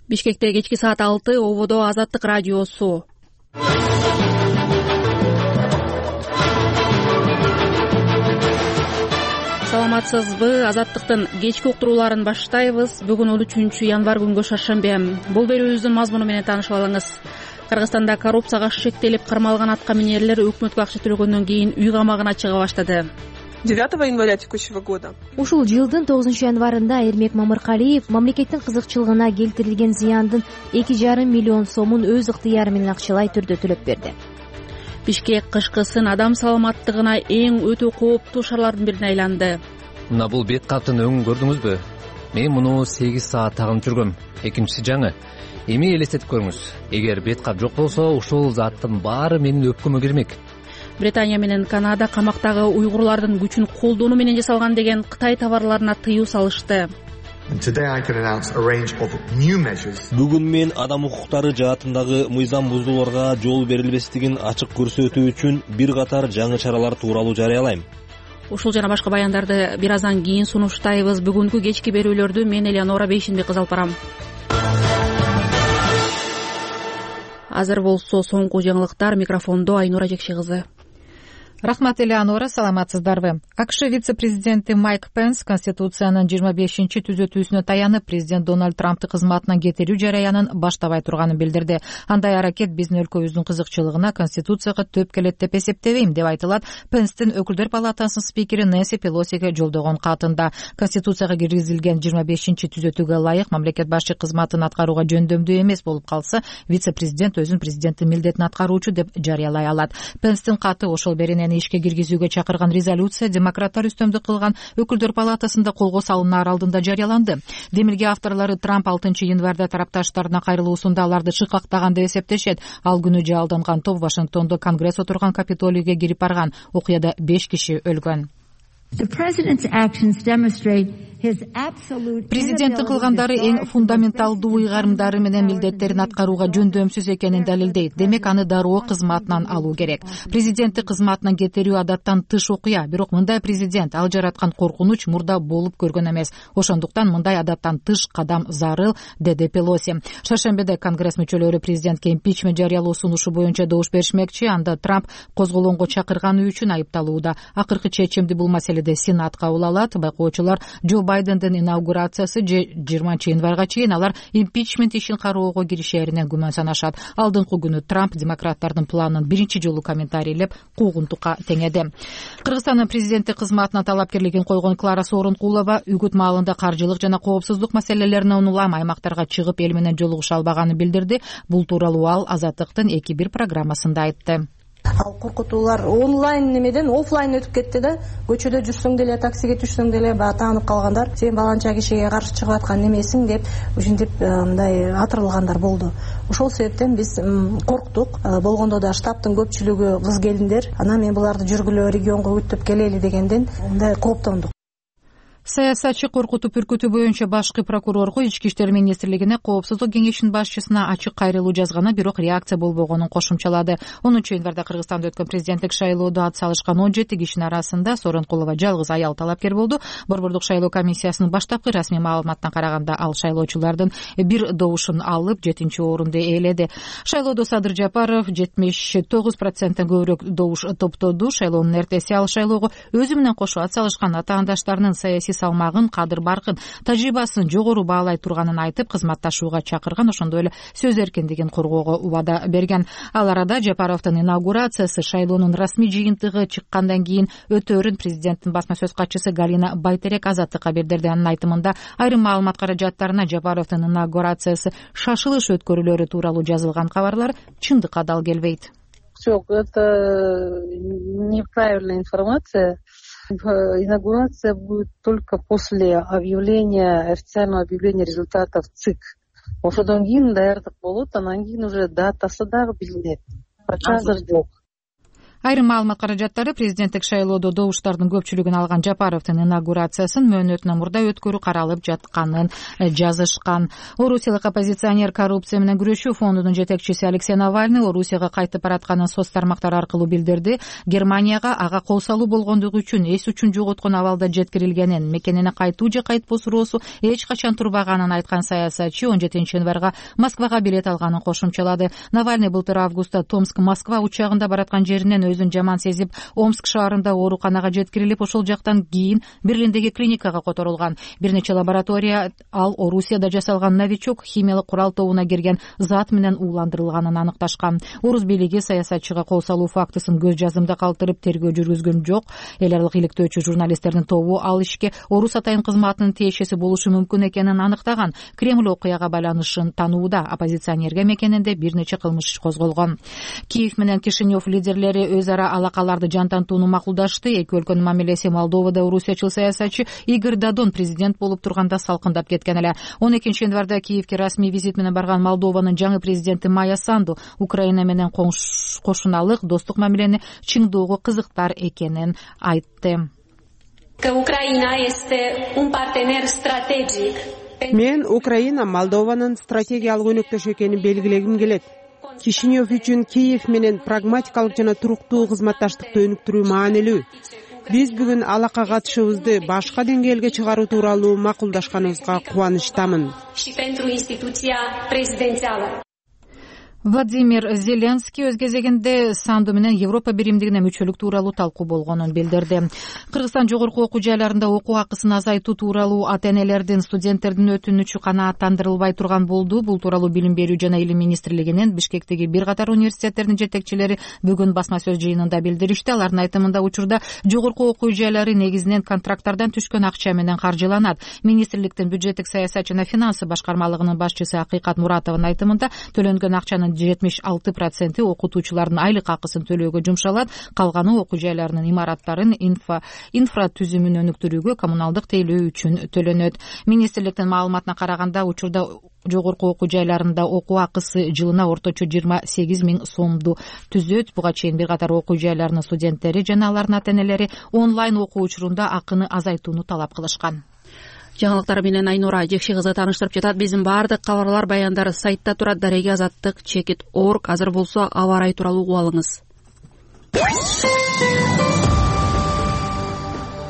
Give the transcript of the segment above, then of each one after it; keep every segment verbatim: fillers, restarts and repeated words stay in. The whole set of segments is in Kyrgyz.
Бишкекте кечки саат алты, ободо Азаттык радиосу. Саламатсызбы? Азаттыктын кечки уктурууларын баштайбыз. Бүгүн он үчүнчү январь күнгө шаршембе. Бул берүүбүздүн мазмуну менен таанышып алыңыз. Кыргызстанда коррупцияга шектелип кармалган атка минерлер өкмөткө акча төлөгөндөн кийин үй камагына чыга баштады. девятого января текущего года. Ушул жылдын тогузунчу январында Эрмек Мамыркалиев мамлекеттин кызыкчылыгына келтирилген зыяндын эки жарым миллион сомун өз ыктыяры менен акчалай түрдө төлөп берди. Бишкек кышкы сын адам саламаттыгына эң өтө кооптуу шаарлардын бирине айланды. Мына бул бет каптын өңүн көрдүңүзбү? Мен муну сегиз саат тагынып жүргөм. Экинчиси жаңы. Эми элестетип көрүңүз. Эгер бет кап жок болсо, ушул заттын баары менин өпкөмө кирмек. Британия менен Канада камактагы уйгурлардын күчүн колдонуу менен жасалган деген Кытай товарларына тыюу салышты. Бүгүн мен адам укуктары жаатындагы мыйзам бузууларга жол берилбестигин ачык көрсөтүү үчүн бир катар жаңы чаралар тууралуу жарыялайм. Ушул жана башка баяндарды бир аздан кийин сунуштайбыз. Бүгүнкү кечки берүүлөрдү мен Элеонора Бейшинбек кыз алып барам. Азыр болсо соңку жаңылыктар, микрофондо Айнура Жекши кызы. Рахмат, Элеонора, саламатсыздарбы? АКШ вице-президенти Майк Пенс Конституциянын жыйырма бешинчи түзөтүүсүнө таянып, президент Дональд Трампты кызматынан кетирүү жараянын баштабай турганын билдирди. Андай аракет биздин өлкөбүздүн кызыкчылыгына Конституцияга төп келет деп эсептебейм, деп айтылат Пенстин Өкүлдөр палатасынын спикери Нэнси Пелосиге жолдогон катында. Конституцияга киргизилген жыйырма бешинчи түзөтүүгө ылайык мамлекет башчы кызматын аткарууга жөндөмдүү эмес болуп калса, вице-президент өзүн президенттин милдетин аткаруучу деп жарыялай алат. Пенстин каты ошол беренени ишке киргизүүгө чакырган резолюция демократтар үстөмдүк кылган Өкүлдөр палатасында колго салынаар алдында жарыяланды. Демилге авторлору Трамп алтынчы январда тарапташтарына кайрылуусунда аларды шыкактаган деп эсептешет. Ал күнү жалданган топ Вашингтондо Конгресс отурган Капитолийге кирип барган. Окуяда беш киши өлгөн. Президенттин кылгандары эң фундаменталдуу ыйгарымдары менен милдеттерин аткарууга жөндөмсүз экенин далилдейт. Демек, аны дароо кызматынан алуу керек. Президентти кызматынан кетирүү адаттан тыш окуя, бирок мындай президент ал жараткан коркунуч мурда болуп көргөн эмес. Ошондуктан мындай адаттан тыш кадам зарыл, деди Пелоси. Шаршембеде Конгресс мүчөлөрү президентке импичмент жарыялоо сунушу боюнча добуш беришмекчи. Анда Трамп козголоонго чакырганы үчүн айыпталууда. Акыркы чечимди бул маселеде Сенат кабыл алат. Байкоочулар Джо Байдендин инаугурациясы жыйырманчы январга чейин алар импичмент ишин кароого киришээринен күмөн санашат. Алдыңкы күнү Трамп демократтардын планын биринчи жолу комментарийлеп куугунтукка теңеди. Кыргызстандын президенти кызматына талапкерлигин койгон Клара Сооронкулова үгүт маалында каржылык жана коопсуздук маселелерине улам аймактарга чыгып эл менен жолугуша албаганын билдирди. Бул тууралуу ал Азаттыктын эки бир программасында айтты. Ал коркутуулар онлайн немеден офлайн өтүп кетти да, көчөдө жүрсөң деле, таксиге түшсөң деле баягы таанып калгандар, сен баланча кишиге каршы чыгып аткан немесиң деп, ушинтип мындай атырылгандар болду. Ошол себептен биз корктук. Болгондо да штабтын көпчүлүгү кыз келиндер. Анан мен буларды жүргүлө регионго өтүп келели дегенден мындай кооптондук. Саясатчы коркутуп үркүтүү боюнча башкы прокурорго Ички иштер министрлигине коопсуздук кеңешинин башчысына ачык кайрылуу жазганы, бирок реакция болбогонун кошумчалады. онунчу январда Кыргызстанда өткөн президенттик шайлоодо ат салышкан он жети кишинин арасында Сооронкулова жалгыз аял талапкер болду. Борбордук шайлоо комиссиясынын баштапкы расмий маалыматына караганда, ал шайлоочулардын бир добушун алып, жетинчи орунду ээледи. Шайлоодо Садыр Жапаров жетимиш тогуз проценттен көбүрөөк добуш топтоду. Шайлоонун эртеси ал шайлоого өзү менен кошо ат салышкан атаандаштарынын саясий салмагын, кадыр баркын, тажрыйбасын жогору баалай турганын айтып, кызматташууга чакырган, ошондой эле сөз эркиндигин коргоого убада берген. Ал арада Жапаровдун инаугурациясы шайлоонун расмий жыйынтыгы чыккандан кийин өтөөрүн президенттин басма сөз катчысы Галина Байтерек Азаттыкка билдирди. Анын айтымында, айрым маалымат каражаттарына Жапаровдун инаугурациясы шашылыш өткөрүлөрү тууралуу жазылган кабарлар чындыкка дал келбейт. Жок, это неправильная информация. Инаугурация будет только после объявления, официального объявления результатов ЦИК. Ошодон кийин даярдык болот, анан кийин уже датасы дагы билинет. Пока азыр жок. Айрым маалымат каражаттары президенттик шайлоодо добуштардын көпчүлүгүн алган Жапаровдун инаугурациясын мөөнөтүнөн мурда өткөрүү каралып жатканын жазышкан. Орусиялык оппозиционер коррупция менен күрөшүү фондунун жетекчиси Алексей Навальный Орусияга кайтып баратканын соц тармактар аркылуу билдирди. Германияга ага кол салуу болгондугу үчүн эс үчүн жоготкон абалда жеткирилгенин, мекенине кайтуу же кайтпоо суроосу эч качан турбаганын айткан саясатчы он жетинчи январга Москвага билет алганын кошумчалады. Навальный былтыр августта Томск-Москва учагында бараткан жеринен өзүн жаман сезип, Омск шаарында ооруканага жеткирилип, ошол жактан кийин Берлиндеги клиникага которулган. Бир нече лаборатория ал Орусияда жасалган новичок химиялык курал тобуна кирген зат менен ууландырылганын аныкташкан. Орус бийлиги саясатчыга кол салуу фактысын көз жазымда калтырып тергөө жүргүзгөн жок. Эл аралык иликтөөчү журналисттердин тобу ал ишке Орус атайын кызматынын тиешеси болушу мүмкүн экенин аныктаган. Кремль окуяга байланышын танууда. Оппозиционерге мекенинде бир нече кылмыш иш козголгон. Киев менен Кишинев лидерлери өз ара алакаларды жантантууну макулдашты. Эки өлкөнүн мамилеси Молдовада орусиячыл саясатчы Игорь Додон президент болуп турганда салкындап кеткен эле. он экинчи январда Киевке расмий визит менен барган Молдованын жаңы президенти Майя Санду Украина менен кошуналык достук мамилени чыңдоого кызыктар экенин айтты. Мен Украина Молдованын стратегиялык өнөктөш экенин белгилегим келет. Кишинев үчүн Киев менен прагматикалык жана туруктуу кызматташтыкты өнүктүрүү маанилүү. Биз бүгүн алака катышыбызды башка деңгээлге чыгаруу тууралуу макулдашканыбызга кубанычтамын. Владимир Зеленский өз кезегинде Санду менен Европа биримдигине мүчөлүк тууралуу талкуу болгонун билдирди. Кыргызстан жогорку окуу жайларында окуу акысын азайтуу тууралуу ата-энелердин, студенттердин өтүнүчү канааттандырылбай турган болду. Бул тууралуу Билим берүү жана илим министрлигинин Бишкектеги бир катар университеттердин жетекчилери бүгүн басма сөз жыйынында билдиришти. Алардын айтымында учурда жогорку окуу жайлары негизинен контракттардан түшкөн акча менен каржыланат. Министрликтин бюджеттик саясат жана финансы башкармалыгынын башчысы Акыйкат Муратованын айтымында төлөнгөн акчанын жетимиш алты проценти окутуучулардын айлык акысын төлөөгө жумшалат. Калганы окуу жайларынын имараттарын инфра инфра түзүмүн өнүктүрүүгө, коммуналдык тейлөө үчүн төлөнөт. Министрликтин маалыматына караганда учурда жогорку окуу жайларында окуу акысы жылына орточо жыйырма сегиз миң сомду түзөт. Буга чейин бир катар окуу жайларынын студенттери жана алардын ата-энелери онлайн окуу учурунда акыны азайтууну талап кылышкан. Жаңылыктар менен Айнура Жекши кызы тааныштырып жатат. Биздин баардык кабарлар, баяндары сайтта турат. Дареги азаттык чекит орг. Азыр болсо аба ырайы тууралуу угуп алыңыз.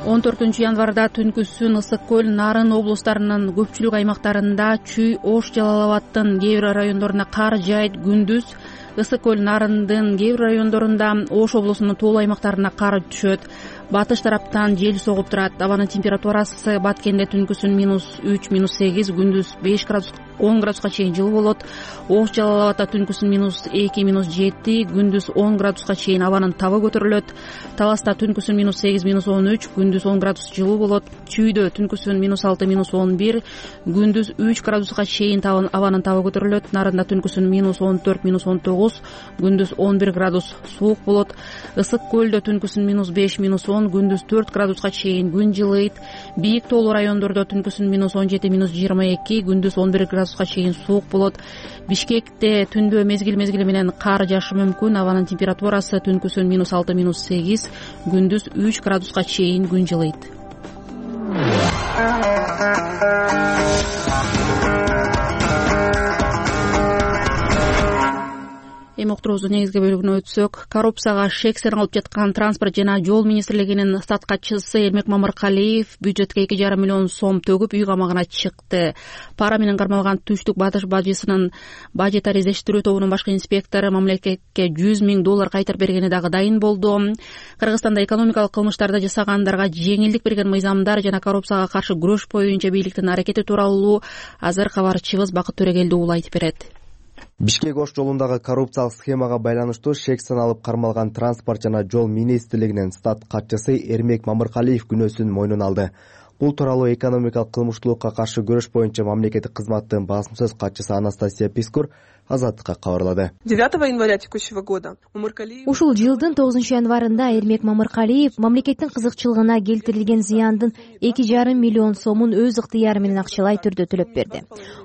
он төртүнчү январда түнкүсүн Ысык көл, Нарын облустарынын көпчүлүк аймактарында Чүй, Ош, Жалал Абадтын кээ бир райондоруна кар жаайт. Күндүз Ысык көл, Нарындын кээ бир райондорунда, Ош облусунун тоолуу аймактарына кар түшөт. Батыш тараптан жел согуп турат. Абанын температурасы Баткенде түнкүсүн минус үч, минус сегиз, күндүз беш градус, он градуска чейин жылуу болот. Ош, Жалал Абадта түнкүсүн минус эки, минус жети, күндүз он градуска чейин абанын табы көтөрүлөт. Таласта түнкүсүн минус сегиз, минус он үч, күндүз он градус жылуу болот. Чүйдө түнкүсүн минус алты, минус он бир, күндүз үч градуска чейин абанын табы көтөрүлөт. Нарында түнкүсүн минус он төрт, минус он тогуз, күндүз он бир градус суук болот. Ысык көлдө түнкүсүн минус беш, минус он, күндүз төрт градуска чейин күн жылыйт. Бийик тоолуу райондордо түнкүсүн минус он жети, минус жыйырма эки, күндүз он бир градуска чейин суук болот. Бишкекте түндө мезгил мезгили менен кар жаашы мүмкүн. Абанын температурасы түнкүсүн минус алты, минус сегиз, күндүз үч градуска чейин күн жылыйт. Эми уктуруубуздун негизги бөлүгүнө өтсөк, коррупцияга шек саналып жаткан Транспорт жана жол министрлигинин стат катчысы Эрмек Мамыркалиев бюджетке эки жарым миллион сом төгүп үй камагына чыкты. Пара менен кармалган Түштүк Батыш бажысынын бажет ариздештирүү тобунун башкы инспектору мамлекетке жүз миң доллар кайтарып бергени дагы дайын болду. Кыргызстанда экономикалык кылмыштарды жасагандарга жеңилдик берген мыйзамдар жана коррупцияга каршы күрөш боюнча бийликтин аракети тууралуу азыр кабарчыбыз Бакыт Төрөгелдиоğlu айтып берет. Бишкек-Ош жолундагы коррупциялык схемага байланыштуу шек саналып кармалган Транспорт жана жол министрлигинин стат катчысы Эрмек Мамыркалиев күнөөсүн мойнуна алды. Бул тууралуу экономикалык кылмыштуулукка каршы күрөш боюнча мамлекеттик кызматтын басым сөз катчысы Анастасия Пискур Азаттыкка кабарлады. девятого января текущего года ушул жылдын тогузунчу январында Эрмек Мамыркалиев мамлекеттин кызыкчылыгына келтирилген зыяндын эки жарым миллион сомун өз ыктыяры менен акчалай түрдө төлөп берди.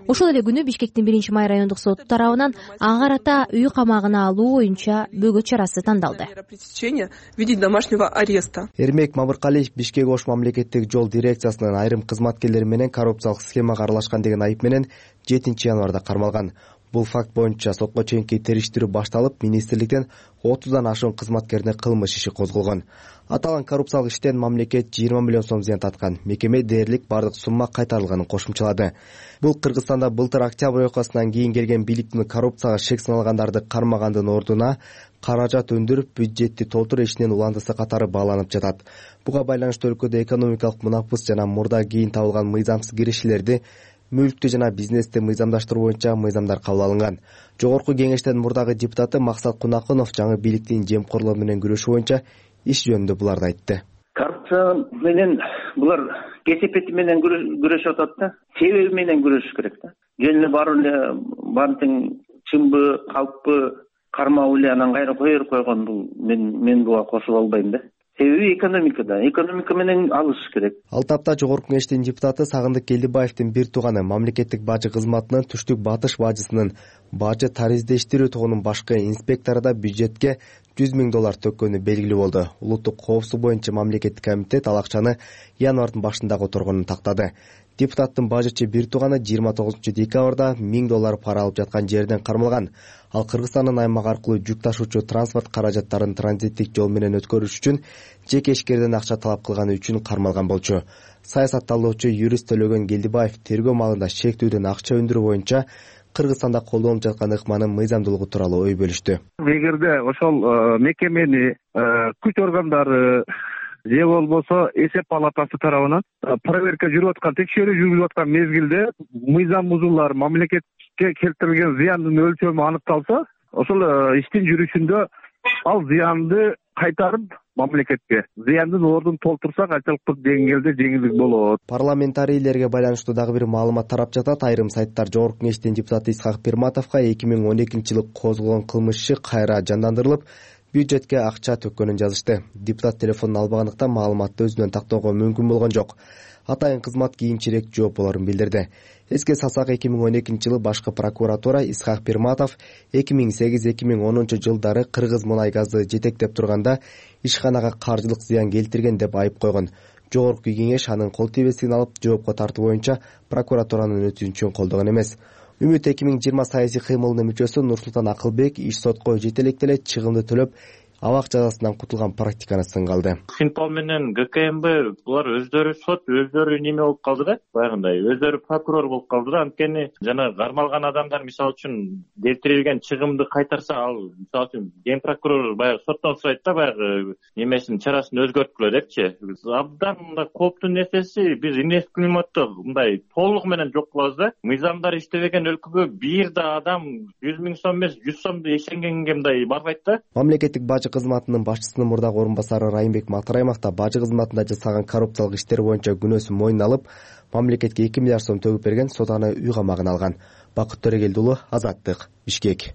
Ошол эле күнү Бишкектин биринчи май райондук соту тарабынан ага карата үй камагына алуу боюнча бөгөт чарасы тандалды. в виде домашнего ареста. Эрмек Мамыркалиев Бишкек Ош мамлекеттик жол дирекциясынын айрым кызматкерлери менен коррупциялык схемага аралашкан деген айып менен жетинчи январда кармалган. Бул факт боюнча сотко чейинки териштирүү башталып, министрликтен отуздан ашуун кызматкерине кылмыш иши козголгон. Аталган коррупциялык иштен мамлекет жыйырма миллион сом зыян тарткан. Мекеме дээрлик бардык сумма кайтарылганын кошумчалады. Бул Кыргызстанда былтыр октябрь окуясынан кийин келген бийликтин коррупцияга шек саналгандарды кармагандын ордуна каражат өндүрүп, бюджетти толтуруу ишинин уландысы катары бааланып жатат. Буга байланыштуу өлкөдө экономикалык мунапыс жана мурда кийин табылган мыйзамсыз киришилерди, мүлктү жана бизнести мыйзамдаштыруу боюнча мыйзамдар кабыл алынган. Жогорку кеңештин мурдагы депутаты Максат Кунакунов жаңы бийликтин жемкорлугу менен күрөшүү боюнча иш жөнүндө буларды айтты. Коррупция менен булар кесепети менен күрөшүп атат да, себеби менен күрөшүш керек да. Жөн эле барып эле баардык чынбы, калппы кармап эле анан кайра кое берип койгон бул мен мен буга кошула албайм да. Себеби экономикада, экономика менен алышыш керек. Ал тапта Жогорку кеңештин депутаты Сагындык Келдибаевдин бир тууганы мамлекеттик бажы кызматынын Түштүк Батыш бажысынын бажы тариздештирүү тобунун башкы инспектору да бюджетке жүз миң доллар төккөнү белгилүү болду. Улуттук коопсуздук боюнча мамлекеттик комитет ал акчаны январдын башында которгонун тактады. Депутаттын бажычы бир тууганы жыйырма тогузунчу декабрда миң доллар пара алып жаткан жерден кармалган. Ал Кыргызстандын аймак аркылуу жүк ташуучу транспорт каражаттарын транзиттик жол менен өткөрүш үчүн жеке ишкерден акча талап кылганы үчүн кармалган болчу. Саясатталуучу юрист Төлөгөн Келдибаев тергөө маалында шектүүдөн акча өндүрүү боюнча Кыргызстанда колдонулуп жаткан ыкманын мыйзамдуулугу тууралуу ой бөлүштү. Эгерде ошол мекемени күч органдары же болбосо эсеп палатасы тарабынан проверка жүрүп аткан, текшерүү жүрүп аткан мезгилде мыйзам бузуулар, мамлекетке келтирилген зыяндын өлчөмү аныкталса, ошол иштин жүрүшүндө ал зыянды кайтарып мамлекетке зыяндын ордун толтурса канчалыктуу деңгээлде жеңилдик болот. Парламентарийлерге байланыштуу дагы бир маалымат тарап жатат. Айрым сайттар Жогорку кеңештин депутаты Исхак Пирматовго эки миң он экинчи жылы козголгон кылмыш иши кайра жандандырылып, бюджетке акча төккөнүн жазышты. Депутат телефонун албагандыктан маалыматты өзүнөн тактоого мүмкүн болгон жок. Атайын кызмат кийинчерээк жооп болорун билдирди. Эске салсак, эки миң он экинчи жылы башкы прокуратура Исхак Пирматов эки миң сегиз эки миң онунчу жылдары Кыргыз мунай газды жетектеп турганда ишканага каржылык зыян келтирген деп айып койгон. Жогорку кеңеш анын кол тийбестигин алып, жоопко тартуу боюнча прокуратуранын өтүнүчүн колдогон эмес. Үмүт эки миң жыйырма саясий кыймылынын мүчөсү Нурсултан Акылбек иш сотко жетелеп эле чыгымды төлөп, абак жазасынан кутулган практиканы сынга алды. Синпал менен ГКМБ булар өздөрү сот, өздөрү неме болуп калды да, баягындай өздөрү прокурор болуп калды да. Анткени жана кармалган адамдар мисалы үчүн келтирилген чыгымды кайтарса, ал мисалы үчүн ген прокурор баягы соттон сурайт да, баягы немесин чарасын өзгөрткүлө депчи. Абдан мындай кооптуу нерсеси, биз инвест климатты мындай толугу менен жок кылабыз да. Мыйзамдар иштебеген өлкөгө бир да адам жүз миң сом эмес жүз сомду ишенгенге мындай барбайт да. Мамлекеттик бажы кызматынын башчысынын мурдагы орун басары Райымбек Матраимов да бажы кызматында жасаган коррупциялык иштер боюнча күнөөсүн мойнуна алып, мамлекетке эки миллиард сом төгүп берген, сот аны үй камагына алган. Бакыт Төрөгелди уулу, Азаттык, Бишкек.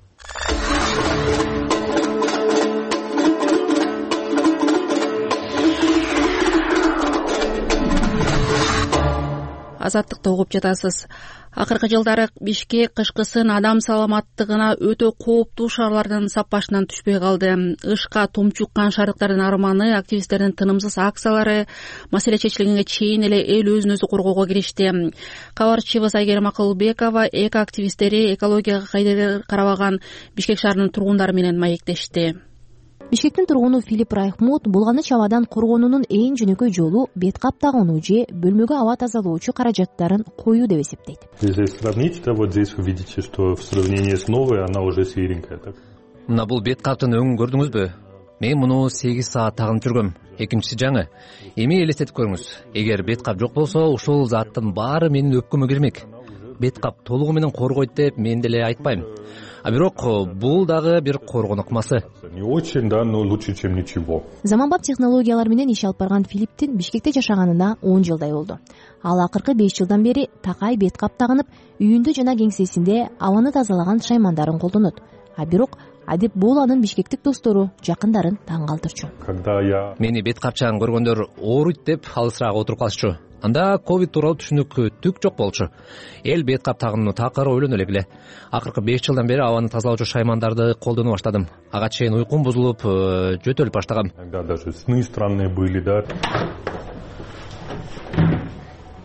Азаттыкты угуп жатасыз. Акыркы жылдары Бишкек кышкысын адам саламаттыгына өтө кооптуу шаарлардын саппашынан түшпөй калды. Ышка тумчу уккан шаардыктардын арманы, активисттердин тынымсыз акциялары маселе чечилгенге чейин эле эл өзүн өзү коргоого киришти. Кабарчыбыз Айгерим Акылбекова эко активисттери экологияга кайдыр карабаган Бишкек шаарынын тургундары менен маектешти. Бишкектин тургуну Филипп Райхмут Булганы абадан коргоонунун эң жөнөкөй жолу бет кап тагынуу же бөлмөгө аба тазалоочу каражаттарын коюу деп эсептейт. Если сравнить, то вот здесь вы видите, что в сравнении с новой она уже свиренькая, так? Мына бул бет каптын өңүн көрдүңүзбү? Мен муну сегиз саат тагынып жүргөм. Экинчиси жаңы. Эми элестетип көрүңүз. Эгер бет кап жок болсо, ушул заттын баары менин өпкөмө кирмек. Бет кап толугу менен коргойт деп мен деле айтпайм. а бирок бул дагы бир коргон ыкмасы. Не очень, да, но лучше, чем ничего. Заманбап технологиялар менен иш алып барган Филипптин Бишкекте жашаганына он жылдай болду. Ал акыркы беш жылдан бери такай бет кап тагынып, үйүндө жана кеңсесинде абаны тазалаган шаймандарын колдонот. А бирок адеп бул анын бишкектик достору, жакындарын таң калтырчу. Когда я Мени бет капчагын көргөндөр ооруйт деп алысыраак отуруп калышчу. Анда ковид тууралуу түшүнүк түк жок болчу. Эл бет кап тагынууну такыр ойлоно эле. Акыркы беш жылдан бери абаны тазалоочу шаймандарды колдоно баштадым. Ага чейин уйкум бузулуп, жөтөлүп баштагам. иногда даже сны странные были, да.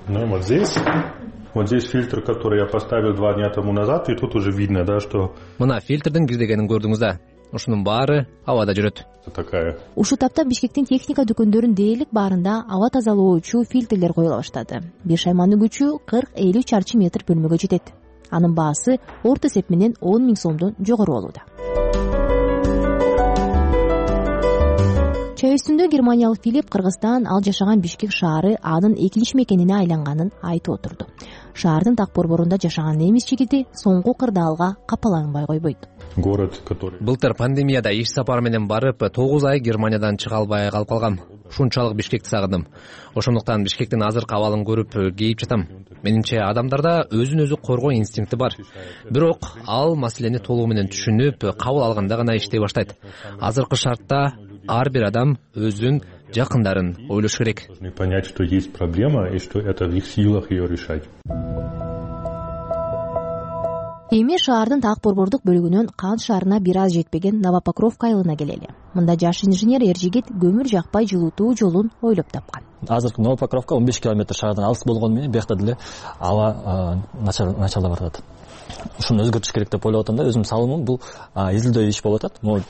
Ну, вот здесь, вот здесь фильтр, который я поставил два дня тому назад, и тут уже видно, да, что Мына фильтрдин кирдегенин көрдүңүз да. Ушунун баары абада жүрөт. такая. Ушул тапта Бишкектин техника дүкөндөрүн дээрлик баарында аба тазалоочу фильтрлер коюла баштады. Бир шайманын күчү кырк элүү чарчы метр бөлмөгө жетет. Анын баасы орто эсеп менен он миң сомдон жогору болууда. Чай үстүндө германиялык Филипп Кыргызстан ал жашаган Бишкек шаары анын экилиш мекенине айланганын айтып отурду. Шаардын так борборунда жашаган немис жигити соңку кырдаалга капаланбай койбойт. Город, который... Былтыр пандемияда иш сапары менен барып, тогуз ай Германиядан чыга албай калып калгам. Ушунчалык Бишкекти сагындым. Ошондуктан Бишкектин азыркы абалын көрүп кейип жатам. Менимче адамдарда өзүн өзү коргоо инстинкти бар. Бирок ал маселени толугу менен түшүнүп, кабыл алганда гана иштей баштайт. Азыркы шартта ар бир адам өзүн, жакындарын ойлош керек. Должны понять, что есть проблема и что это в их силах ее решать. Эми шаардын так борбордук бөлүгүнөн Кан шаарына бир аз жетпеген Новопокровка айылына келели. Мында жаш инженер Эржигит көмүр жакпай жылытуу жолун ойлоп тапкан. Азыркы Новопокровка он беш километр шаардан алыс болгону менен биякта деле аба начарлап баратат. Ушуну өзгөртүш керек деп ойлоп атам да. Өзүмдүн салымым бул изилдөө иш болуп атат. Могу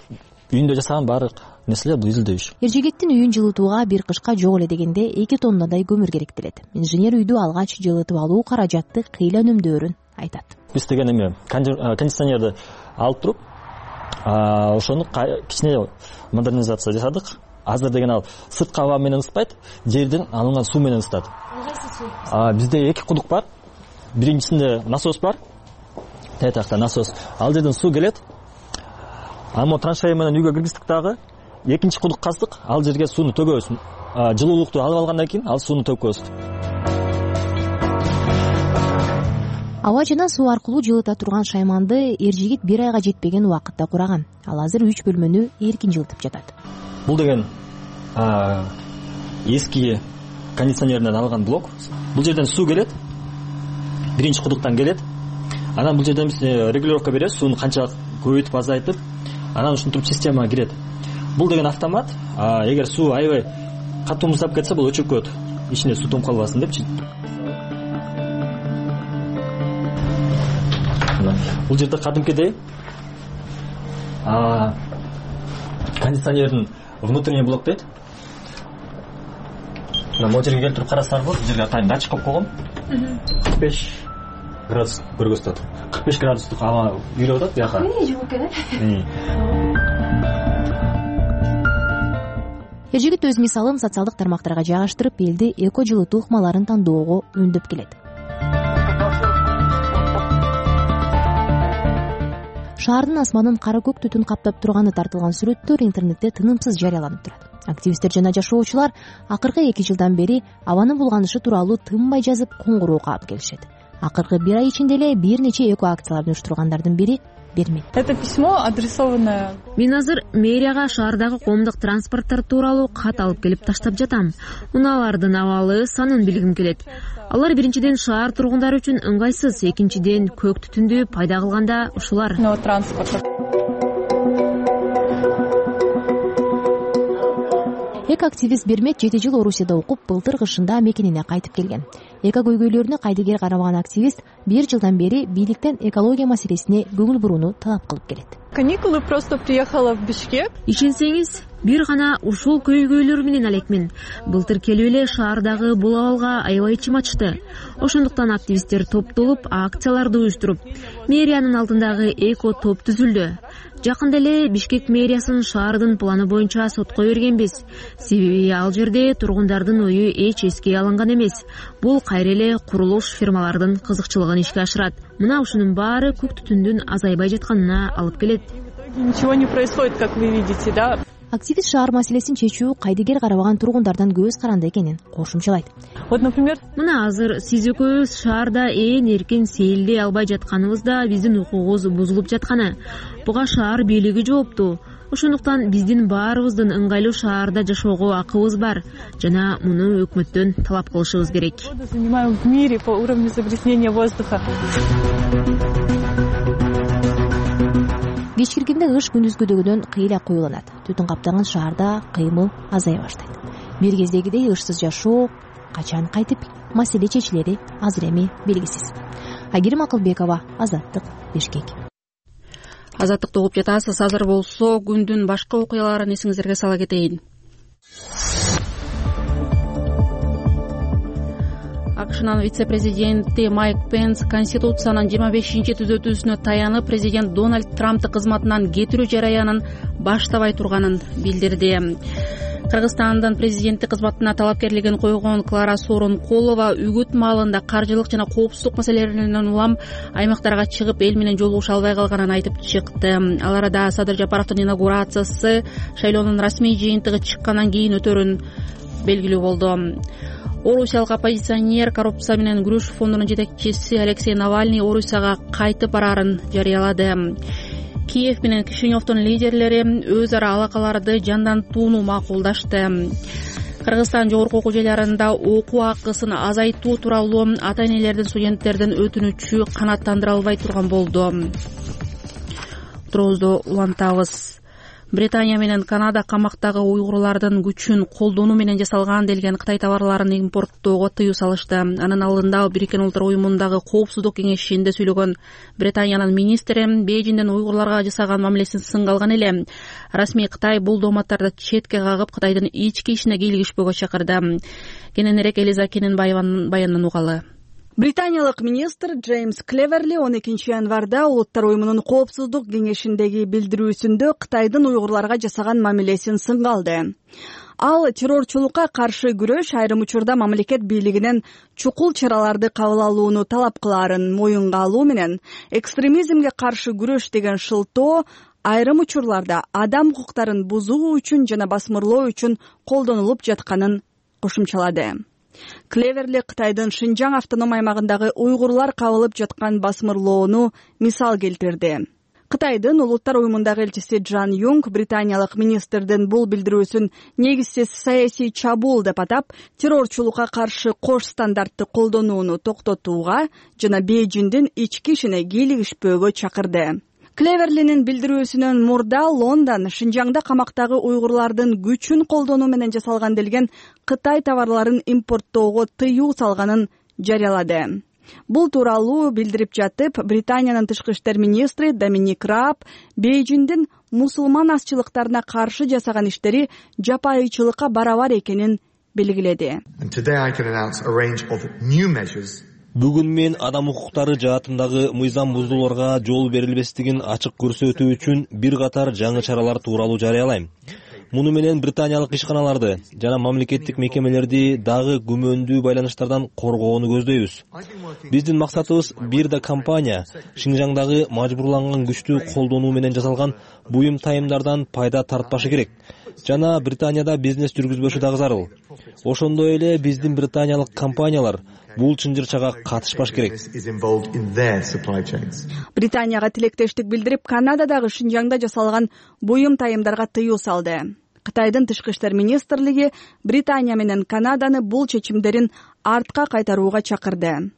үйүндө жасаган баардык нерселер бул изилдөө иш. Эржигиттин үйүн жылытууга бир кышка жок эле дегенде эки тоннадай көмүр керектелет. Инженер үйдү алгач жылытып алуу каражатты кыйла үнөмдөөрүн айтат. Биз деген эме кондиционерди алып туруп, ошону кичине модернизация жасадык. Азыр деген ал сырткы аба менен ысытпайт, жерден алынган суу менен ысытат. Бизде эки кудук бар. Биринчисинде насос бар. Тетакта насос. Ал жерден суу келет. Ама траншея менен үйгө киргиздик дагы. Экинчи кудук каздык. Ал жерге сууну төгөбүз. Жылуулукту алып алгандан кийин ал сууну төгөбүз. Аба жана суу аркылуу жылыта турган шайманды Эржигит бир айга жетпеген убакытта кураган. Ал азыр үч бөлмөнү эркин жылытып жатат. Бул деген эски кондиционерден алган блок. Бул жерден суу келет. Биринчи кудуктан келет. Анан бул жерден биз регулировка беребиз, сууну канчалык көбөйтүп азайтып, анан ушинтип система кирет. Бул деген автомат. Эгер суу аябай катуу муздап кетсе, бул өчүрүп коет. Ичине суу томуп калбасын депчи. Бул жерде кадимкидей кондиционердин внутренний блок дейт. Могу жерге келтирип карасаңар болот. Бул жерге атайын датчик коюп койгом. кырк беш градус көргөзүп атат. кырк беш градустук аба үйрөп атат бияка. Эмне жок экен? Эржигит өз мисалын социалдык тармактарга жайгаштырып, элди эко жылытуу ыкмаларын тандоого үндөп келет. Шаардын асманын кара көк түтүн каптап турганы тартылган сүрөттөр интернетте тынымсыз жарыяланып турат. Активисттер жана жашоочулар акыркы эки жылдан бери абанын булганышы тууралуу тынбай жазып, коңгуроо каап келишет. Акыркы бир ай ичинде эле бир нече эко акцияларды уюштургандардын бири Бермек. Это письмо адресованное. Мен азыр мэриягага шаардагы коомдук транспорттор тууралуу кат алып келип таштап жатам. Унаалардын абалы санын билгим келет. Алар биринчиден шаар тургундары үчүн ыңгайсыз, экинчиден көк түтүндү пайда кылганда ушулар. Эко-активист Бермек жети жыл Орусияда окуп, былтыр кышында мекенине кайтып келген. Эко көйгөйлөрүнө кайдыгер карабаган активист бир жылдан бери бийликтен экология маселесине көңүл бурууну талап кылып келет. Каникулы просто приехала в Бишкек. Ишенсеңиз, бир гана ушул көйгөйлөр менен элекмин. Былтыр келип эле шаардагы бул абалга аябай ичим ачты. Ошондуктан активисттер топтолуп, акцияларды уюштуруп, мэриянын алдындагы эко топ түзүлдү. Жакында эле Бишкек мэриясын шаардын планы боюнча сотко бергенбиз. Себеби ал жерде тургундардын ою эч эске алынган эмес. Бул кайра эле курулуш фирмалардын кызыкчылыгын ишке ашырат. Мына ушунун баары көк түтүндүн азайбай жатканына алып келет. Ничего не происходит, как вы видите, да? Активист шаар маселесин чечүү кайдыгер карабаган тургундардан көз каранды экенин кошумчалайт. Вот, например, мына азыр сиз экөөбүз шаарда ээн эркин сейилдей албай жатканыбызда биздин укугубуз бузулуп жатканы. Буга шаар бийлиги жооптуу. Ошондуктан биздин баарыбыздын ыңгайлуу шаарда жашоого акыбыз бар жана муну өкмөттөн талап кылышыбыз керек. Занимаем в мире по уровню загрязнения воздуха. Кечкиргенде кыш күндүзгүдөгүдөн кыйла куюланат. Түтүн каптаган шаарда кыймыл азая баштайт. Бир кездегидей ышсыз жашоо качан кайтып маселе чечилери азыр эми белгисиз. Айгерим Акылбекова, Азаттык, Бишкек. Азаттыкты угуп жатасыз. Азыр болсо күндүн башка окуяларын эсиңиздерге сала кетейин. АКШнын вице-президенти Майк Пенс Конституциянын жыйырма бешинчи түзөтүүсүнө таянып президент Дональд Трампты кызматынан кетирүү жараянын баштабай турганын билдирди. Кыргызстандын президенттик кызматына талапкерлигин койгон Клара Сооронкулова үгүт маалында каржылык жана коопсуздук маселелеринен улам аймактарга чыгып эл менен жолугуша албай калганын айтып чыкты. Ал арада Садыр Жапаровдун инаугурациясы шайлоонун расмий жыйынтыгы чыккандан кийин өтөрүн белгилүү болду. Орусиялык оппозиционер коррупция менен күрөш фондунун жетекчиси Алексей Навальный Орусияга кайтып бараарын жарыялады. Киев менен Кишиневдун лидерлери өз ара алакаларды жандантууну макулдашты. Кыргызстан жогорку окуу жайларында окуу акысын азайтуу тууралуу ата-энелердин, студенттердин өтүнүчү канааттандыра албай турган болду. Турубузду улантабыз. Британия менен Канада камактагы уйгурлардын күчүн колдонуу менен жасалган делген Кытай товарларын импорттоого тыюу салышты. Анын алдында Бириккен Улуттар уюмундагы коопсуздук кеңешинде сүйлөгөн Британиянын министри Бейжиңдин уйгурларга жасаган мамилесин сынга алган эле. Расмий Кытай бул дооматтарды четке кагып, Кытайдын ички ишине кийлигишпөөгө чакырды. Кененирээк Элиза Кененбаеванын баянынан угалы. Британиялык министр Джеймс Клеверли он экинчи январда Улуттар уюмунун коопсуздук кеңешиндеги билдирүүсүндө Кытайдын уйгурларга жасаган мамилесин сынга алды. Ал террорчулукка каршы күрөш айрым учурда мамлекет бийлигинен чукул чараларды кабыл алууну талап кылаарын моюнга алуу менен экстремизмге каршы күрөш деген шылтоо айрым учурларда адам укуктарын бузуу үчүн жана басмырлоо үчүн колдонулуп жатканын кошумчалады. Клеверли Кытайдын Шинжаң автоном аймагындагы уйгурлар кабылып жаткан басмырлоону мисал келтирди. Кытайдын Улуттар уюмундагы элчиси Джан Юнг британиялык министрдин бул билдирүүсүн негизсиз саясий чабуул деп атап, террорчулукка каршы кош стандартты колдонууну токтотууга жана Бейжиңдин ички ишине кийлигишпөөгө чакырды. Клеверлинин билдирүүсүнөн мурда Лондон Шинжаңда камактагы уйгурлардын күчүн колдонуу менен жасалган делген Кытай товарларын импорттоого тыюу салганын жарыялады. Бул тууралуу билдирип жатып, Британиянын тышкы иштер министри Доминик Раб Бейжиңдин мусулман азчылыктарына каршы жасаган иштери жапайычылыкка барабар экенин белгиледи. Бүгүн мен адам укуктары жаатындагы мыйзам бузууларга жол берилбестигин ачык көрсөтүү үчүн бир катар жаңы чаралар тууралуу жарыялайм. Муну менен британиялык ишканаларды жана мамлекеттик мекемелерди дагы күмөндүү байланыштардан коргоону көздөйбүз. Биздин максатыбыз бир да компания Шинжаңдагы мажбурланган күчтү колдонуу менен жасалган буюм тайымдардан пайда тартпашы керек жана Британияда бизнес жүргүзбөшү дагы зарыл. Ошондой эле биздин британиялык компаниялар бул чынжырчага катышпаш керек. Британияга тилектештик билдирип, Канададагы Шинжаңда жасалган буюм тайымдарга тыюу салды. Кытайдын тышкы иштер министрлиги Британия менен Канаданы бул чечимдерин артка кайтарууга чакырды.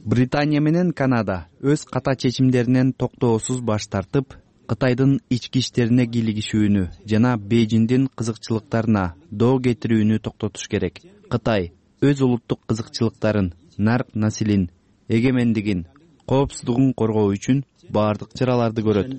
Британия менен Канада өз ката чечимдеринен токтоосуз баш тартып, Кытайдын ички иштерине кийлигишүүнү жана Бейжиңдин кызыкчылыктарына доо кетирүүнү токтотуш керек. Кытай өз улуттук кызыкчылыктарын, нарк насилин, эгемендигин, коопсуздугун коргоо үчүн баардык чараларды көрөт.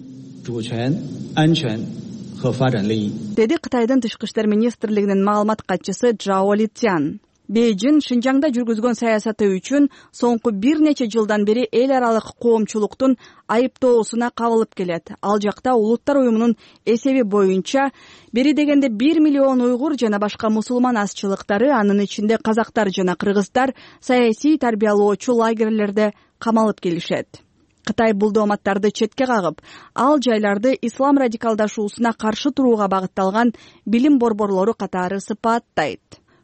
Деди Кытайдын тышкы иштер министрлигинин маалымат катчысы Джао Литян. Бейжин Шинжаңда жүргүзгөн саясаты үчүн соңку бир нече жылдан бери эл аралык коомчулуктун айыптоосуна кабылып келет. Ал жакта Улуттар уюмунун эсеби боюнча бери дегенде бир миллион уйгур жана башка мусулман азчылыктары, анын ичинде казактар жана кыргыздар саясий тарбиялоочу лагерлерде камалып келишет. Кытай бул дооматтарды четке кагып, ал жайларды ислам радикалдашуусуна каршы турууга багытталган билим борборлору катары сыпаттайт.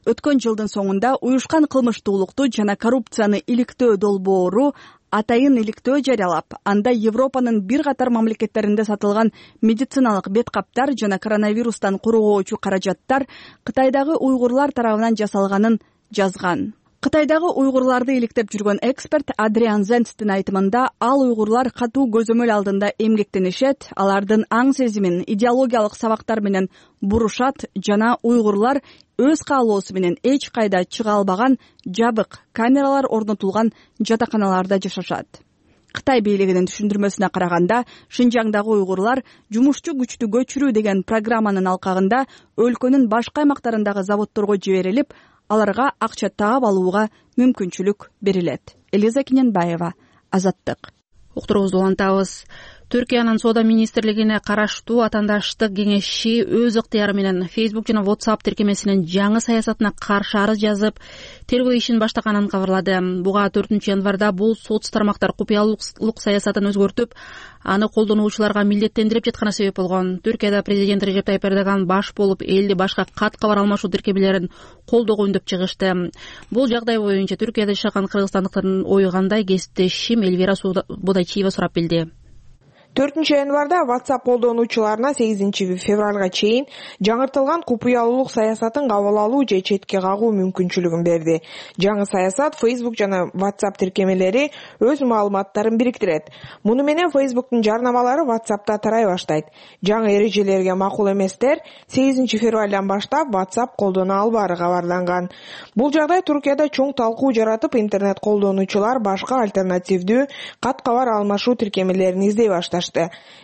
Өткөн жылдын соңунда уюшкан кылмыштуулукту жана коррупцияны иликтөө долбоору атайын иликтөө жарыялап, анда Европанын бир катар мамлекеттеринде сатылган медициналык бет каптар жана коронавирустан коргоочу каражаттар Кытайдагы уйгурлар тарабынан жасалганын жазган. Кытайдагы уйгурларды иликтеп жүргөн эксперт Адриан Зенстин айтымында, ал уйгурлар катуу көзөмөл алдында эмгектенишет, алардын аң сезимин идеологиялык сабактар менен бурушат жана уйгурлар өз каалоосу менен эч кайда чыга албаган жабык камералар орнотулган жатаканаларда жашашат. Кытай бийлигинин түшүндүрмөсүнө караганда, Шинжаңдагы уйгурлар жумушчу күчтү көчүрүү деген программанын алкагында өлкөнүн башка аймактарындагы заводдорго жиберилип, аларга акча таап алууга мүмкүнчүлүк берилет. Элиза Кененбаева, Азаттык. Уктуруубузду улантабыз. Түркиянын соода министрлигине караштуу атаандаштык кеңеши өз ыктыяры менен Facebook жана WhatsApp тиркемесинин жаңы саясатына каршы арыз жазып, тергөө ишин баштаганын кабарлады. Буга төртүнчү январда бул соц тармактар купуялык саясатын өзгөртүп, аны колдонуучуларга милдеттендирип жатканы себеп болгон. Түркияда президент Режеп Тайип Эрдоган баш болуп, элди башка кат кабар алмашуу тиркемелерин колдогон деп чыгышты. Бул жагдай боюнча Түркияда жашаган кыргызстандыктардын ою кандай, кесиптешим Эльвира Бодайчиева сурап билди. төртүнчү январда WhatsApp колдонуучуларына сегизинчи февралга чейин жаңыртылган купуялуулук саясатын кабыл алуу же четке кагуу мүмкүнчүлүгүн берди. Жаңы саясат Facebook жана WhatsApp тиркемелери өз маалыматтарын бириктирет. Муну менен Facebooктун жарнамалары WhatsApp'та тарай баштайт. Жаңы эрежелерге макул эместер сегизинчи февралдан баштап WhatsApp колдоно албаары кабарланган. Бул жагдай Түркияда чоң талкуу жаратып, интернет колдонуучулар башка альтернативдүү кат кабар алмашуу тиркемелерин издей башташты.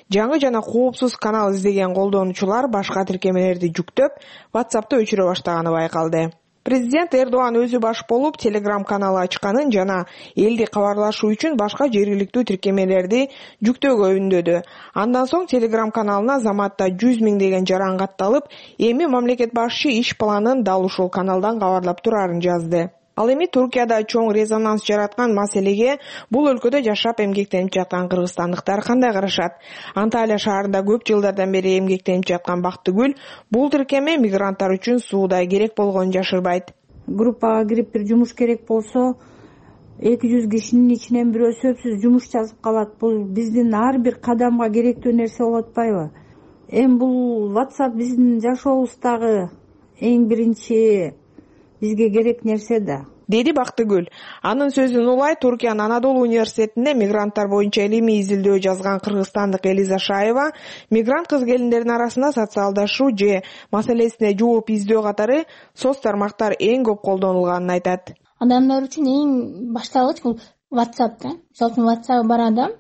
Жаңы жана коопсуз канал издеген колдонуучулар башка тиркемелерди жүктөп, WhatsApp'ты өчүрө баштаганы байкалды. Президент Эрдоган өзү баш болуп Telegram каналы ачканын жана элди кабарлашуу үчүн башка жергиликтүү тиркемелерди жүктөөгө үндөдү. Андан соң Telegram каналына заматта жүз миңдеген жаран катталып, эми мамлекет башчы иш планын дал ушул каналдан кабарлап турарын жазды. Ал эми Түркияда чоң резонанс жараткан маселеге бул өлкөдө жашап эмгектенип жаткан кыргызстандыктар кандай карашат? Анталия шаарында көп жылдардан бери эмгектенип жаткан Бактыгүл бул тиркеме мигранттар үчүн суудай керек болгонун жашырбайт. Группага кирип бир жумуш керек болсо, эки жүз кишинин ичинен бирөө сөзсүз жумуш жазып калат. Бул биздин ар бир кадамга керектүү нерсе болуп атпайбы? Эми бул WhatsApp биздин жашообуздагы эң биринчи бизге керек нерсе да, деди Бактыгүл. Анын сөзүн улай Түркиянын Анадолу университетинде мигранттар боюнча илимий изилдөө жазган кыргызстандык Элиза Шаева мигрант кыз келиндердин арасында социалдашуу же маселесине жооп издөө катары соц тармактар эң көп колдонулганын айтат. Адамдар үчүн эң башталгыч бул WhatsApp да. Мисалы үчүн WhatsApp бар адам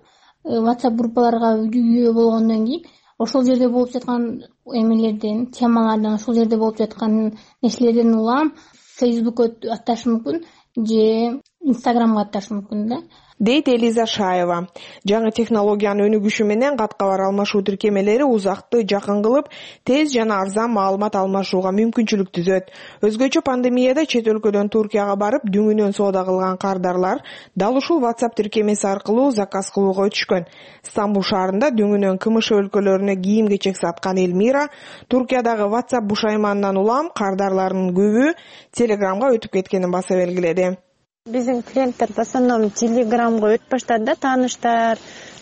WhatsApp группаларга үйөө болгондон кийин ошол жерде болуп жаткан эмелерден, темалардан, ошол жерде болуп жаткан нерселерден улам Фейсбукка атташы мүмкүн же Инстаграмга атташы мүмкүн да, дейт Элиза Шаева. Жаңы технологиянын өнүгүшү менен кат кабар алмашуу тиркемелери узакты жакын кылып, тез жана арзан маалымат алмашууга мүмкүнчүлүк түзөт. Өзгөчө пандемияда чет өлкөдөн Түркияга барып, дүңүнөн соода кылган кардарлар дал ушул WhatsApp тиркемеси аркылуу заказ кылууга өтүшкөн. Стамбул шаарында дүңүнөн КМШ өлкөлөрүнө кийим-кечек саткан Элмира Түркиядагы WhatsApp бушайманынан улам кардарлардын көбү Telegramга өтүп кеткенин баса белгиледи. Биздин клиенттер в основном Telegramга өтүп баштады да, тааныштар,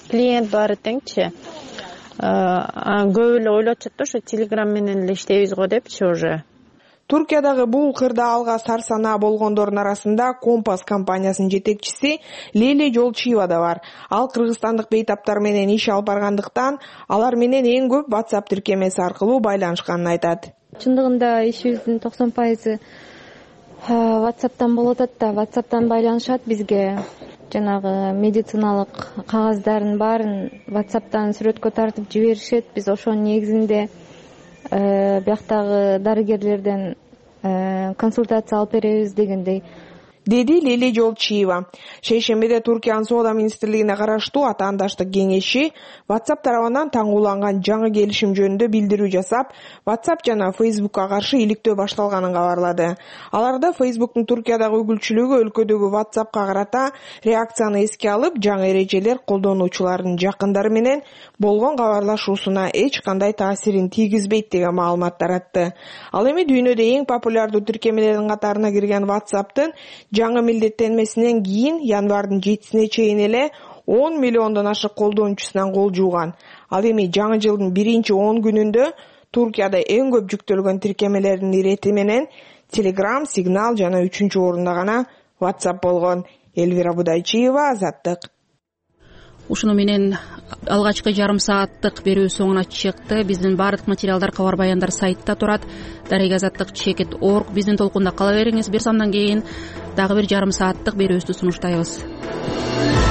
клиент баары теңчи. Көп эле ойлоп атышат да, ошо Telegram менен эле иштейбиз го депчи уже. Түркиядагы бул кырдаалга сарсанаа болгондордун арасында Компас компаниясынын жетекчиси Лейли Жолчиева да бар. Ал кыргызстандык бейтаптар менен иш алып баргандыктан, алар менен эң көп WhatsApp тиркемеси аркылуу байланышканын айтат. Чындыгында ишибиздин токсон пайызы WhatsApp'тан болот да, WhatsApp'тан байланышат бизге. Жанагы медициналык кагаздардын баарын WhatsApp'тан сүрөткө тартып жиберишет. Биз ошонун негизинде бияктагы дарыгерлерден консультация алып беребиз дегендей, деди Лили Жолчиева. Шейшембиде Туркиянын Соода министрлигине караштуу атаандаштык кеңеши WhatsApp тарабынан таңгууланган жаңы келишим жөнүндө билдирүү жасап, WhatsApp жана Facebookка каршы иликтөө башталганын кабарлады. Аларда Facebooktун Туркиядагы үгүлчүлүгү өлкөдөгү WhatsAppка карата реакцияны эске алып, жаңы эрежелер колдонуучулардын жакындары менен болгон кабарлашуусуна эч кандай таасирин тийгизбейт деген маалымат таратты. Ал эми дүйнөдө эң популярдуу тиркемелердин катарына кирген WhatsApp'тын жаңы милдеттенмесинен кийин январдын жетисине чейин эле он миллиондон ашык колдонуучусунан кол жууган. Ал эми жаңы жылдын биринчи он күнүндө Туркияда эң көп жүктөлгөн тиркемелердин ирети менен Telegram, Signal жана үчүнчү орунда гана WhatsApp болгон. Элвира Будайчиева, Азаттык. Ушуну менен алгачкы жарым сааттык берүү соңуна чыкты. Биздин баардык материалдар, кабар баяндар сайтта турат. Дарек азаттык чекит точка орг. Биздин толкунда кала бериңиз. Бир сандан кийин дагы бир жарым сааттык берүүбүздү сунуштайбыз.